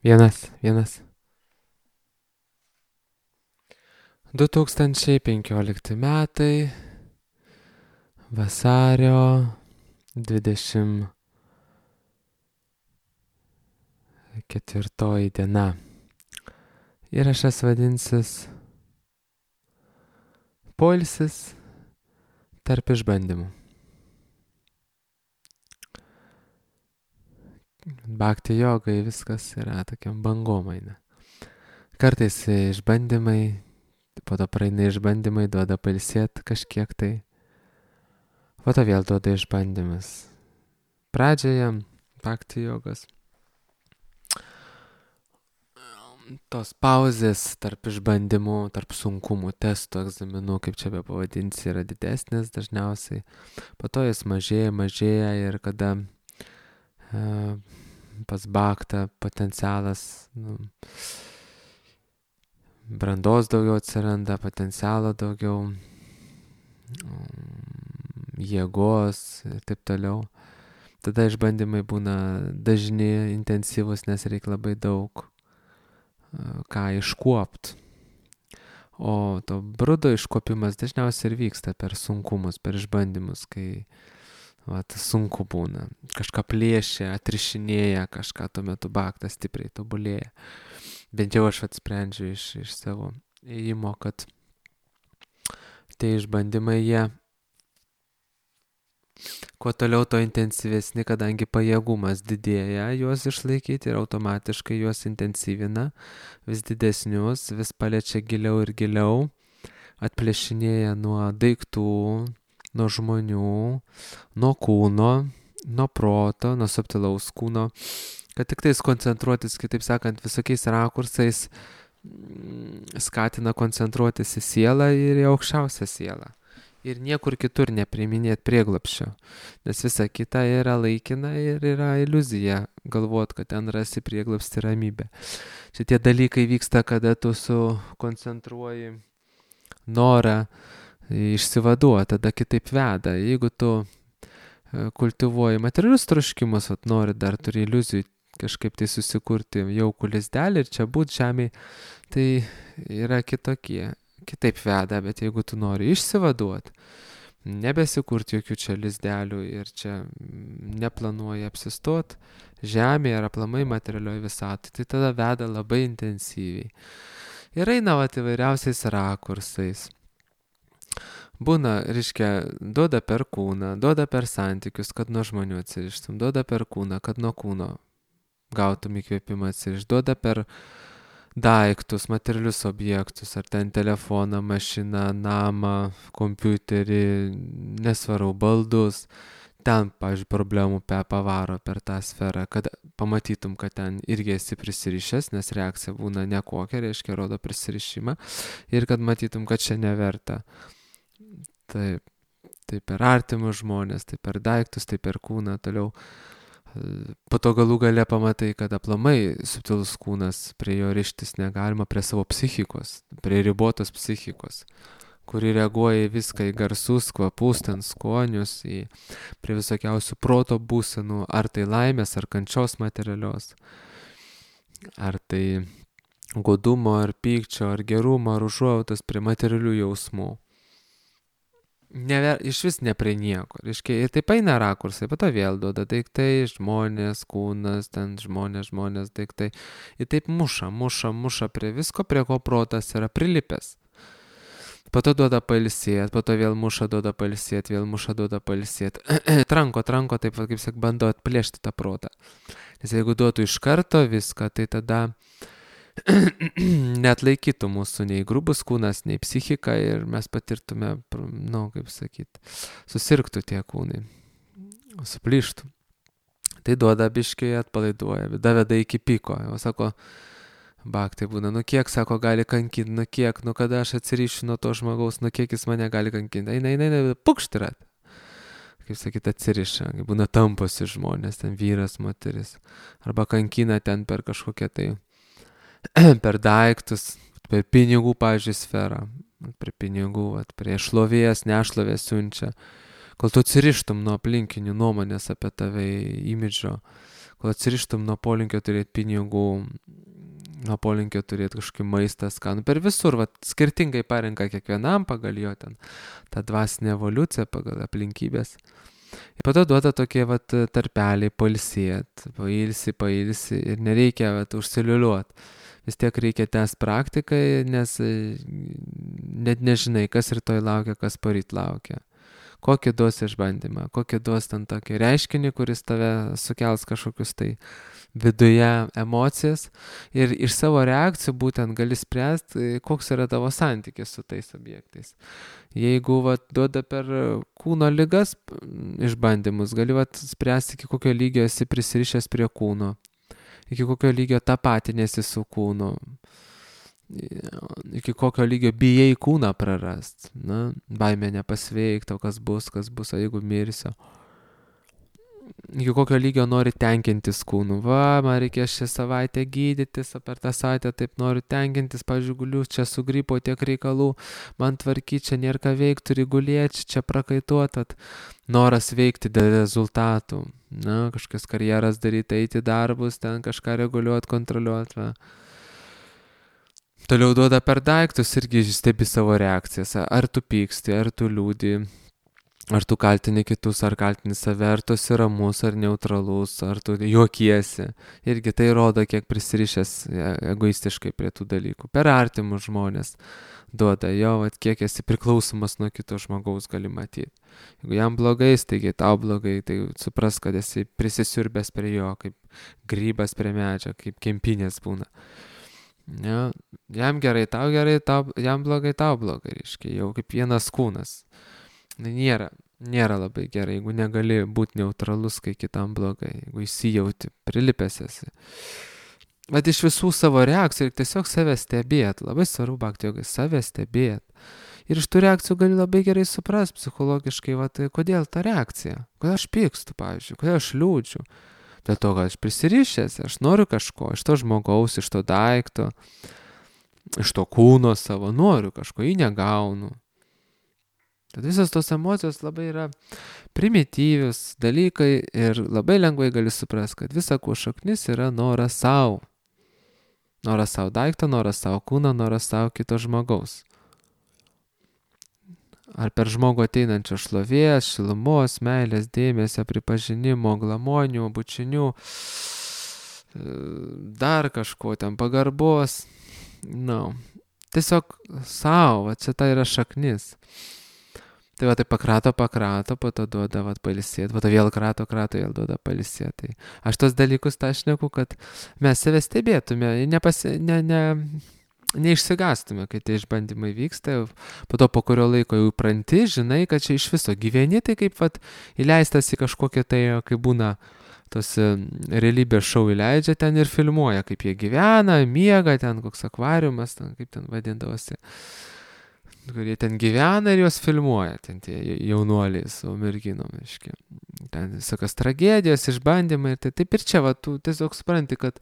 Vienas. 2015 metai, vasario 24 diena. Įrašas vadinsis Poilsis tarp išbandymų. Bhakti jogai viskas yra tokiam bangomaina. Kartais išbandymai, po to praeina išbandymai, duoda pailsėti kažkiek tai, po to vėl duoda išbandymas. Pradžioje bhakti jogos. Tos pauzės tarp išbandymų, tarp sunkumų, testų, egzaminų, kaip čia be pavadinsi, yra didesnės dažniausiai. Po to jis mažėja ir kada pas bhaktą potencialas, brandos daugiau atsiranda, potencialo daugiau, jėgos ir taip toliau. Tada išbandymai būna dažni, intensyvus, nes reikia labai daug ką iškuopt. O to brudo iškuopimas dažniausiai ir vyksta per sunkumus, per išbandymus, kai sunku būna. Kažką plėšia, atrišinėja, kažką tuo metu bhaktas stipriai tobulėja. Bent jau aš atsprendžiu iš savo ėjimo, kad tie išbandymai jie kuo toliau to intensyvesni, kadangi pajėgumas didėja juos išlaikyti ir automatiškai juos intensyvina, vis didesnius, vis paliečia giliau ir giliau, atplėšinėja nuo daiktų, nuo žmonių, nuo kūno, nuo proto, nuo subtilaus kūno, kad tik tais koncentruotis, kitaip sakant, visokiais rakursais skatina koncentruotis į sielą ir į aukščiausią sielą. Ir niekur kitur nepriiminėt prieglapščio, nes visa kita yra laikina ir yra iliuzija galvot, kad ten rasi prieglapstį ramybę. Šitie dalykai vyksta, kada tu sukoncentruoji norą išsivaduoti, tada kitaip veda. Jeigu tu kultivuoji materialius troškimus, nori dar turi iliuzijų kažkaip tai susikurti jaukų lizdelį ir čia būt žemėj, tai yra kitaip veda, bet jeigu tu nori išsivaduoti, nebesikurti jokių čia lizdelių ir čia neplanuoji apsistot žemėje ar aplamai materialioje visatoj, tai tada veda labai intensyviai. Ir eina įvairiausiais rakursais. Būna, duoda per kūną, duoda per santykius, kad nuo žmonių atsirištum, duoda per kūną, kad nuo kūno gautum įkvėpimą atsirišti, duoda per daiktus, materialius objektus, ar ten telefoną, mašiną, namą, kompiuterį, nesvarau, baldus, ten, pavyzdžiui, problemų pavaro per tą sferą, kad pamatytum, kad ten irgi esi prisirišęs, nes reakcija būna nekokia, reiškia, rodo prisirišimą, ir kad matytum, kad čia neverta. Tai per artimus žmonės, tai per daiktus, tai per kūną, toliau. Po to galų gale pamatai, kad aplamai subtilus kūnas, prie jo rištis negalima, prie savo psichikos, prie ribotos psichikos, kuri reaguoja į viską, į garsus, kvapus, ten skonius, prie visokiausių proto būsenų, ar tai laimės, ar kančios materialios, ar tai godumo, ar pykčio, ar gerumo, ar užuojautos, prie materialių jausmų. Iš vis ne prie nieko. Ir taip eina rakursai, po to vėl duoda daiktai, žmonės, kūnas, ten žmonės, daiktai. Ir taip muša prie visko, prie ko protas yra prilipęs. Po to duoda pailsėti, po to vėl muša, duoda pailsėti, vėl muša, duoda pailsėti. Tranko, taip, kaip sak, bando atplėšti tą protą. Nes jeigu duotų iš karto viską, tai tada net laikytų mūsų nei grubus kūnas, nei psichika ir mes patirtume, susirgtų tie kūnai, suplyštų. Tai duoda biškiai, atpalaiduoja, daveda iki piko. Jau sako, bhaktai būna, kiek, sako, gali kankinti, kiek, kada aš atsirišiu nuo to žmogaus, kiek jis mane gali kankinti. Eina, pukštirat. Kaip sakyt, atsiriša, būna tamposi žmonės, ten vyras, moteris, arba kankina ten per kažkokią tai per daiktus, per pinigų, pavyzdžiui, sferą, prie pinigų, prie šlovės, nešlovės siunčia, kol tu atsirištum nuo aplinkinių nuomonės apie tave, imidžo, kol atsirištum nuo polinkio turėti pinigų, nuo polinkio turėti kažkokį maistą skanų. Per visur, skirtingai parenka kiekvienam pagal jo ten tą dvasinę evoliuciją, pagal aplinkybės. Ir po to duoda tokie tarpeliai pailsėt, pailsi ir nereikia užsiliuliuot. Vis tiek reikia tęsti praktikai, nes net nežinai, kas rytoj laukia, kas poryt laukia. Kokį duos išbandymą, kokį duos ten tokį reiškinį, kuris tave sukels kažkokius tai viduje emocijas ir iš savo reakcijų būtent gali spręsti, koks yra tavo santykis su tais objektais. Jeigu duoda per kūno ligas išbandymus, gali spręsti, iki kokio lygio esi prisirišęs prie kūno, iki kokio lygio tapatinėsi su kūnu, iki kokio lygio bijai kūną prarast, baimė nepasveikti, kas bus, o jeigu mirsiu. Iki kokio lygio nori tenkintis kūnu. Man reikės šią savaitę gydytis, o per tą savaitę taip noriu tenkintis, pavyzdžiui, guliu, čia su gripo tiek reikalų, man tvarkyti, čia nėra ką veikti, turi gulėti, čia prakaituot, noras veikti dėl rezultatų, kažkokias karjeras daryti, eiti darbus, ten kažką reguliuoti, kontroliuoti. Toliau duoda per daiktus, irgi stebi savo reakcijas, ar tu pyksti, ar tu liūdi, ar tu kaltini kitus, ar kaltini save, ar tu esi ramus, ar neutralus, ar tu juokiesi. Irgi tai rodo, kiek prisirišęs egoistiškai prie tų dalykų. Per artimus žmonės duoda kiek esi priklausomas nuo kito žmogaus gali matyti. Jeigu jam blogai, taigi tau blogai, tai supras, kad esi prisisiurbęs prie jo, kaip grybas prie medžio, kaip kempinės būna. Jam gerai, jam blogai, tau blogai, reiškia, jau kaip vienas kūnas. Nėra labai gerai, jeigu negali būti neutralus, kai kitam blogai, jeigu įsijauti, prilipęs esi. Bet iš visų savo reakcijų ir tiesiog save stebėt, labai svarbu bhakti jogai, save stebėt. Ir iš tų reakcijų gali labai gerai suprast psichologiškai, kodėl ta reakcija, kodėl aš pykstu, pavyzdžiui, kodėl aš liūdžiu. Dėl to, kad aš prisirišęs, aš noriu kažko, iš to žmogaus, iš to daikto, iš to kūno savo, noriu kažko, jį negaunu. Tad visos tos emocijos labai yra primityvius dalykai ir labai lengvai gali suprasti, kad visa ko šaknis yra noras savo. Noras savo daikto, noras savo kūno, noras savo kito žmogaus. Ar per žmogų ateinančio šlovės, šilumos, meilės, dėmesio, pripažinimo, glamonių, bučinių, dar kažko ten pagarbos. Tiesiog savo, čia tai yra šaknis. Tai tai pakrato, po to duoda pailsėti, po to vėl krato, vėl duoda pailsėti. Aš tos dalykus šneku, kad mes save stebėtume, neišsigastume, kai tie išbandymai vyksta, po to po kurio laiko jau pranti, žinai, kad čia iš viso gyveni, tai kaip įleistas į kažkokią tai, kai būna tos realybės šou įleidžia ten ir filmuoja, kaip jie gyvena, miega, ten koks akvariumas, ten, kaip ten vadindavosi, kurie ten gyvena ir juos filmuoja, ten tie jaunuoliai su merginom, aiškiai. Ten visokios tragedijos, išbandymai, tai taip ir čia, tu tiesiog supranti, kad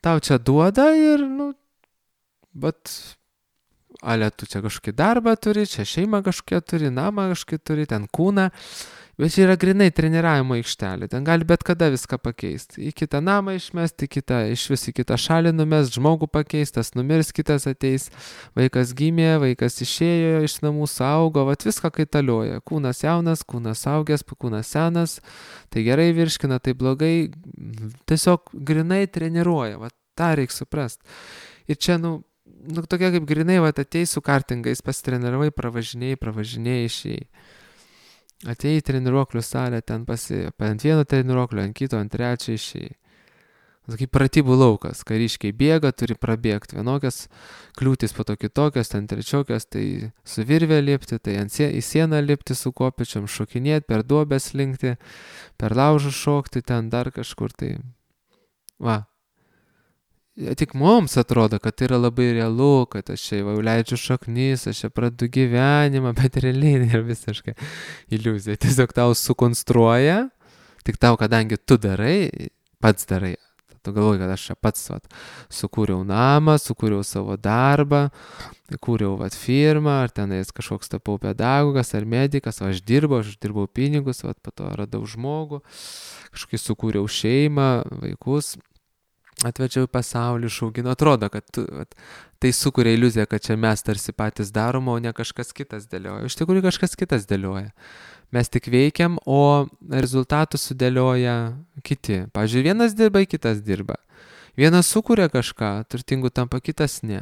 tau čia duoda ir, bet tu čia kažkokį darbą turi, čia šeimą kažkokią turi, namą kažkokį turi, ten kūną, bet čia yra grinai treniravimo aikštelė, ten gali bet kada viską pakeisti. Į kitą namą išmesti, iš vis į kitą šalį numest, žmogų pakeistas, numirs, kitas ateis, vaikas gimė, vaikas išėjo iš namų, saugo, viską kaitalioja. Kūnas jaunas, kūnas augęs, kūnas senas, tai gerai virškina, tai blogai, tiesiog grinai treniruoja, tą reikia suprasti. Ir čia, tokia kaip grinai, ateis su kartingais, pasitreniravai, pravažinėjai, išėjai. Atėjai į treniruoklių salę, ten ant vieno treniruoklio, ant kito, ant trečio išėjai. Kaip pratybų laukas, kariškiai bėga, turi prabėgti vienokias kliūtis, po to kitokios, ten trečiokios, tai su virvė lipti, tai į sieną lipti su kopėčiom, šokinėti, per duobės linkti, per laužų šokti, ten dar kažkur, tai tik mums atrodo, kad tai yra labai realu, kad aš čia jau leidžiu šaknis, aš čia pradedu gyvenimą, bet realiai yra visiškai iliuzija. Tiesiog tau sukonstruoja, tik tau, kadangi tu darai, pats darai, tu galvoji, kad aš čia pats sukūriau namą, sukūriau savo darbą, kūriau firmą, ar tenais kažkoks tapau pedagogas ar medikas, aš dirbau pinigus, po to radau žmogų, kažkokį sukūriau šeimą, vaikus, atvečiau į pasaulį, išauginu. Atrodo, kad tai sukuria iliuziją, kad čia mes tarsi patys darom, o ne kažkas kitas dėlioja. Iš tikrųjų kažkas kitas dėlioja. Mes tik veikiam, o rezultatus sudėlioja kiti. Pavyzdžiui, vienas dirba, kitas dirba. Vienas sukuria kažką, turtingų tampa, kitas ne.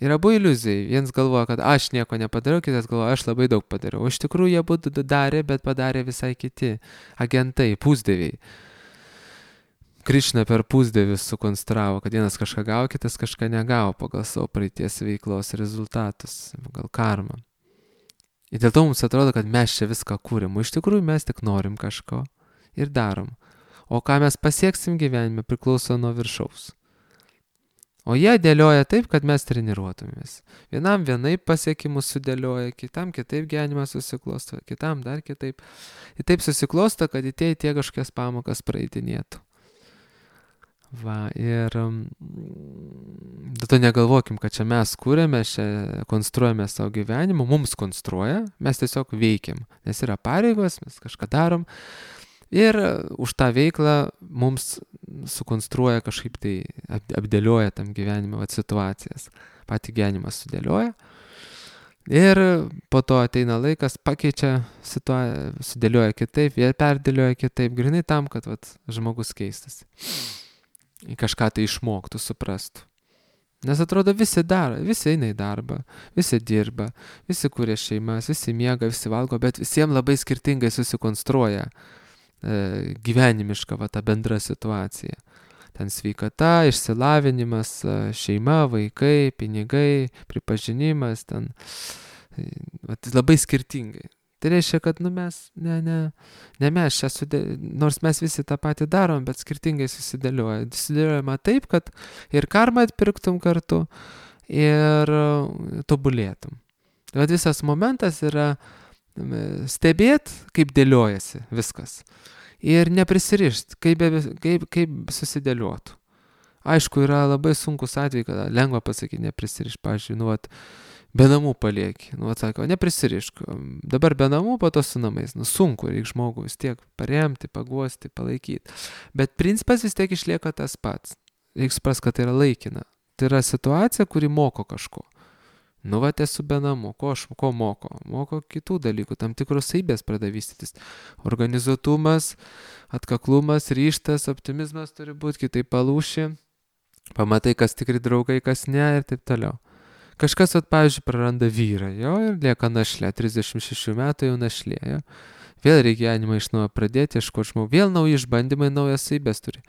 Ir abu iliuzijai. Vienas galvoja, kad aš nieko nepadariau, kitas galvoja, aš labai daug padariau. O iš tikrųjų jie abu darė, bet padarė visai kiti agentai, pusdieviai. Krišna per pusdievius sukonstravo, kad vienas kažką gavo, kitas kažką negavo pagal savo praeities veiklos rezultatus, pagal karmą. Ir dėl to mums atrodo, kad mes čia viską kūrim, o iš tikrųjų mes tik norim kažko ir darom. O ką mes pasieksim gyvenime priklauso nuo viršaus. O jie dėlioja taip, kad mes treniruotumės. Vienam vienaip pasiekimus sudėlioja, kitam kitaip gyvenimas susiklosto, kitam dar kitaip. Ir taip susiklosto, kad į tie kažkokias pamokas praeitinėtų. Ir dėl to negalvokim, kad čia mes kūrėme, čia konstruojame savo gyvenimą, mums konstruoja, mes tiesiog veikiam, nes yra pareigos, mes kažką darom ir už tą veiklą mums sukonstruoja kažkaip tai, apdėlioja tam gyvenime situacijas, patį gyvenimą sudėlioja ir po to ateina laikas, pakeičia situaciją, sudėlioja kitaip, jie perdėlioja kitaip, grinai tam, kad žmogus keistasi. Į kažką tai išmoktų, suprastų. Nes atrodo visi daro, visi eina į darbą, visi dirba, visi kuria šeimas, visi miega, visi valgo, bet visiems labai skirtingai susikonstruoja gyvenimiška ta bendra situacija. Ten sveikata, išsilavinimas, šeima, vaikai, pinigai, pripažinimas, ten labai skirtingai. Tai reiškia, kad mes, ne mes čia nors mes visi tą patį darom, bet skirtingai susidėliojama taip, kad ir karmą atpirktum kartu ir tobulėtum. Bet visas momentas yra stebėt, kaip dėliojasi viskas ir neprisirišt, kaip susidėliotų. Aišku, yra labai sunkus atvejai, kad lengva pasakyti neprisirišt, pavyzdžiui, be namų palieki. Sako, neprisirišk. Dabar be namų, po to su namais. Sunku, reikia žmogų vis tiek paremti, paguosti, palaikyti. Bet principas vis tiek išlieka tas pats. Reikia suprasti, kad tai yra laikina. Tai yra situacija, kuri moko kažko. Esu be namų. Ko moko? Moko kitų dalykų. Tam tikros savybės pradeda vystytis. Organizuotumas, atkaklumas, ryžtas, optimizmas turi būti, kitaip palūši. Pamatai, kas tikri draugai, kas ne ir taip toliau. Kažkas, pavyzdžiui, praranda vyrą, ir lieka našlė, 36 metų jau našlė, Vėl reikia gyvenimą iš naujo pradėti, ieškoti žmogų, vėl nauji išbandymai, naujas savybės turi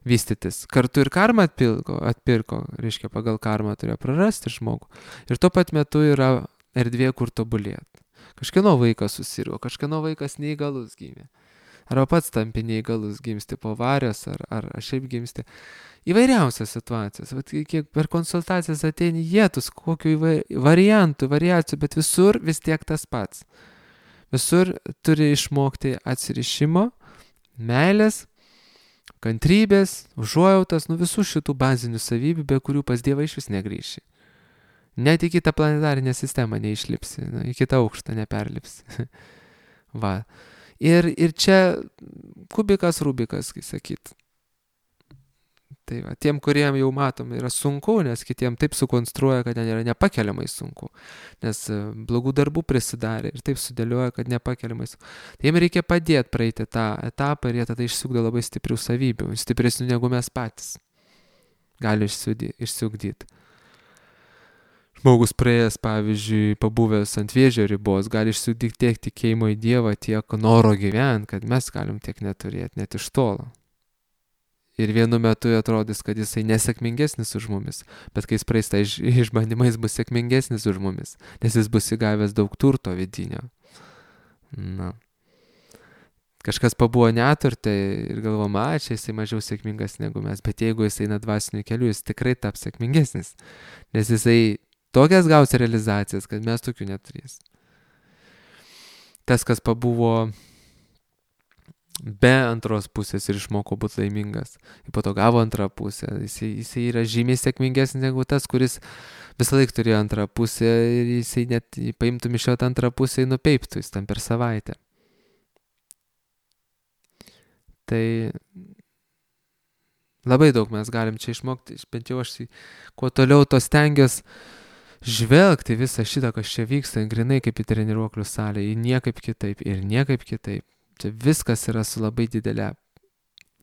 vystytis. Kartu ir karmą atpirko, reiškia, pagal karmą turėjo prarasti žmogų. Ir tuo pat metu yra erdvė, kur tobulėti. Kažkieno vaikas susirgo, kažkieno vaikas neįgalus gimė. Arba pats tampi neįgalus, gimsti po avarijos, ar šiaip gimsti. Įvairiausias situacijas. Kiek per konsultacijas ateini jėtus, kokių variacijų, bet visur vis tiek tas pats. Visur turi išmokti atsirišimo, meilės, kantrybės, užuojautos, visų šitų bazinių savybių, be kurių pas Dievą iš vis negrįši. Net į kitą planetarinę sistemą neišlipsi, į kitą aukštą neperlipsi. Ir čia kubikas, rubikas, kai sakyt. Tai tiem, kuriem jau matom, yra sunku, nes kitiem taip sukonstruoja, kad ten yra nepakeliamai sunku. Nes blogų darbų prisidarė ir taip sudėlioja, kad nepakeliamai sunku. Tai jiem reikia padėti praeiti tą etapą ir jie tada išsiugdo labai stiprių savybių, stipresnių negu mes patys. Gali išsiugdyti. Žmogus praėjęs, pavyzdžiui, pabuvęs ant vėžio ribos, gali išsiugdyti tiek tikėjimo į Dievą, tiek noro gyventi, kad mes galim tiek neturėti, net iš tolo. Ir vienu metu atrodys, kad jisai nesėkmingesnis už mumis, bet kai jis praeis tą išbandymą, jis bus sėkmingesnis už mumis, nes jis bus įgavęs daug turto vidinio. Kažkas pabuvo neturte ir galvoma, čia jisai mažiau sėkmingas negu mes, bet jeigu jisai eina dvasiniu keliu, jis tikrai taps sėkmingesnis, nes jisai tokias gaus realizacijas, kad mes tokių neturės. Tas, kas pabuvo be antros pusės ir išmoko būti laimingas. Ir po to gavo antrą pusę. Jisai yra žymiai sėkmingesnis negu tas, kuris visą laiką turėjo antrą pusę ir jisai net paimtum iš jo tą antrą pusę ir nupeiptų jis tam per savaitę. Tai labai daug mes galim čia išmokti, bent jau aš kuo toliau to stengiuosi žvelgti visą šitą, kas čia vyksta, grinai kaip į treniruoklių salę, į niekaip kitaip ir niekaip kitaip. Čia viskas yra su labai didelė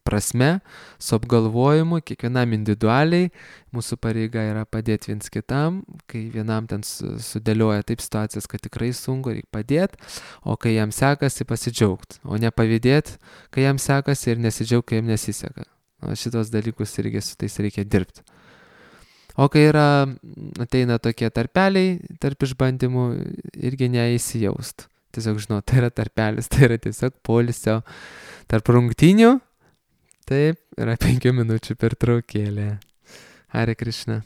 prasme, su apgalvojimu, kiekvienam individualiai, mūsų pareiga yra padėti viens kitam, kai vienam ten sudėlioja taip situacijas, kad tikrai sunku, reikia padėti, o kai jam sekasi pasidžiaugti, o ne pavydėti, kai jam sekasi ir nesidžiaugti, kai jam nesiseka. O šitos dalykus irgi su tais reikia dirbti. O kai ateina tokie tarpeliai, tarp išbandymų, irgi neįsijaust. Tiesiog žinau, tai yra tarpelis, tai yra tiesiog poilsio tarp rungtynių. Taip, yra 5 minučių pertraukėlė. Hare Krishna.